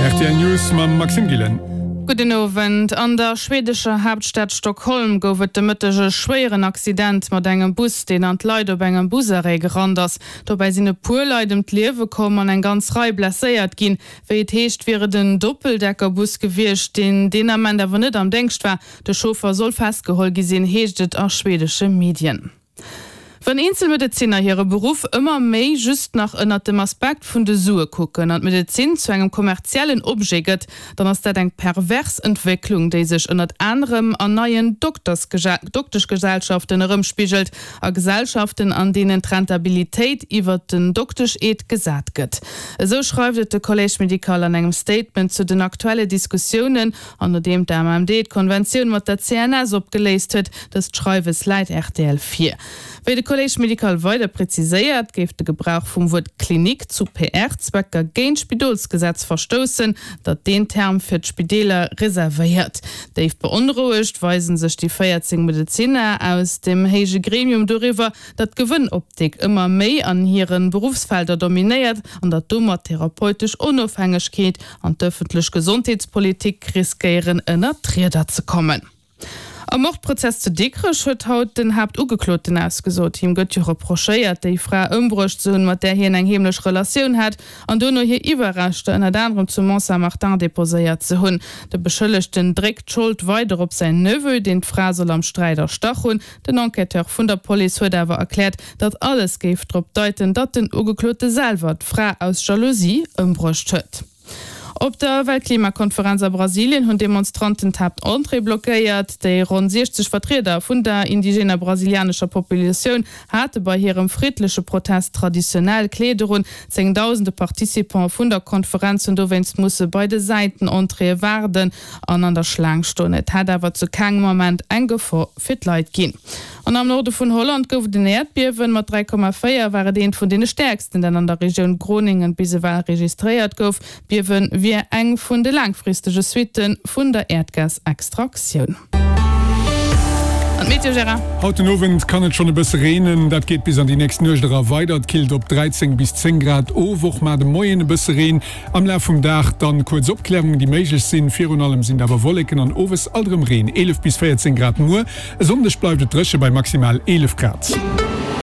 Rtl News mam Maxime Gillen. Gudden Owend. An der schwedescher Haaptstad Stockholm gouf et de Mëtteg e schwéieren Accident mat engem Bus, deen an d'Leit op engem Busarrêt gerannt ass. Dobäi sinn e puer Leit ëm d'Liewe komm an eng ganz Rei blesséiert ginn. Wéi et heescht, wier et en Doppeldeckerbus gewiescht, deen deen Ament awer net am Déngscht war. De Chauffer soll festgeholl gi sinn, heescht et a schwedesche Medien. Wann eenzel Medezinner hire Beruff ëmmer méi just nach ënnert dem Aspekt vun de Sue kucken an d'Medezin zu engem kommerziellen Objet gëtt, dann ass dat eng pervers Entwécklung, déi sech ënnert anerem an neien Dokteschgesellschaften erëmspigelt, a Gesellschaften, an deenen d'Rentabilitéit iwwert den Doktesch-Eed gesat gëtt. Esou schreift et de Collège médical an engem Statement zu den aktuelle Diskussiounen An nodeem d'AMMD d'Konventioun mat der CNS opgeléist huet, dëst Schreiwes läit rtl vir. Wéi de Collège médical weider preziséiert, géif de Gebrauch vum Wuert Klinik zu PR-Zwecker géint d'Spidolsgesetz verstoussen, dat deen Term fir d'Spideeler reservéiert. Déif beonrouegt weise sech déi 14 Medezinner aus dem héije Gremium doriwwer, datt d'Gewënnoptik ëmmer méi an hire Beruffsfelder dominéiert an datt domat d'therapeutesch Onofhängegkeet an d'ëffentlech Gesondheetspolitik riskéieren ënner d'Rieder ze kommen. Am Mordprozess zu Dikrech huet haut den Haaptugekloten ausgesot. Him gëtt jo reprochéiert, déi Fra ëmbruecht ze hunn, mat där hien eng heemlech Relatioun hat, an duerno hir Iwwerreschter ënnert anerem zu Mont-Saint-Martin deposéiert ze hunn. De Beschëllegten dréckt d'Schold weider op säin Neveu, deen d'Fra soll am Sträit erstach hunn. Den Enquêteur vun der Police huet awer erkläert, datt alles géif drop deiten, datt den Ugeklote selwer d'Fra aus Jalousie ëmbruecht huet. Op der Weltklimakonferenz a Brasilien hunn Demonstranten d'Haaptentrée blockéiert. Déi ronn 60 Vertrieder vun der indigener brasilianescher Populatioun hate bei hirem friddleche Protest traditionell Kleeder un. Zéngdausende Participante vun der Konferenz hunn dowéinst musse bei de Säitenentréeë waarden. an an der Schlaang stoen. Et hätt awer zu kengem Ament eng Gefor fir d'Leit ginn. An am Norde vun Holland gouf et en Äerdbiewen. Mat 3,4 war et eent vun deene stäerksten, dat an der Regioun Groningen bis ewell registréiert gouf. D'Biewe wier eng vun de laangfristege Suitte vun der Äerdgasextraktioun. An d'Meteo, Gérard? Haut den Owend kann et schonn e bësse reenen, dat geet bis an déi nächst Nuecht era weider. Et killt op 13 bis 10 Grad of. Och mar de Moien e bësse Reen. Am Laf vum Dag dann kuerz Opklärungen déi méiglech sinn. Virun allem sinn et awer Wolleken an owes alt erëm Reen. 11 bis 14 Grad muer. E Sonndeg bleift et dréche bei maximal 11 Grad.